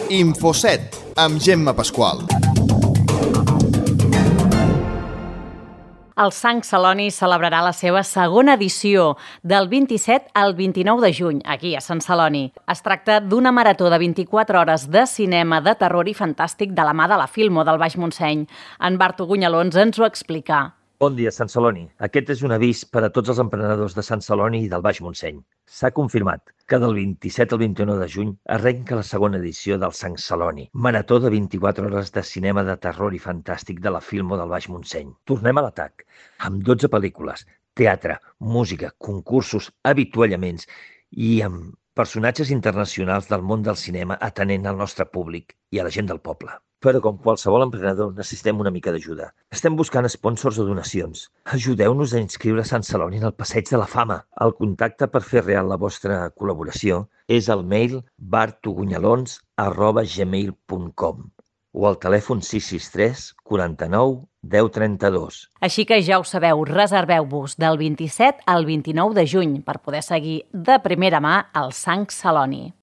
Infoset, amb Gemma Pasqual. El Sant Celoni celebrarà la seva segona edició del 27 al 29 de juny, aquí a Sant Celoni. Es tracta d'una marató de 24 hores de cinema de terror i fantàstic de la mà de la Filmo del Baix Montseny. En Bartu Gunyalons ens ho explica. Bon dia, Sant Celoni. Aquest és un avís per a tots els emprenedors de Sant Celoni i del Baix Montseny. S'ha confirmat que del 27 al 21 de juny arrenca la segona edició del Sant Celoni, marató de 24 hores de cinema de terror i fantàstic de la Filmo del Baix Montseny. Tornem a l'atac, amb 12 pel·lícules, teatre, música, concursos, avituallaments i amb personatges internacionals del món del cinema atenent al nostre públic i a la gent del poble. Però com qualsevol emprenedor necessitem una mica d'ajuda. Estem buscant sponsors o donacions. Ajudeu-nos a inscriure Sant Celoni en el Passeig de la Fama. El contacte per fer real la vostra col·laboració és el mail bartugunyalons@gmail.com o al telèfon 663 49 10 32. Així que ja ho sabeu, reserveu-vos del 27 al 29 de juny per poder seguir de primera mà el Sant Celoni.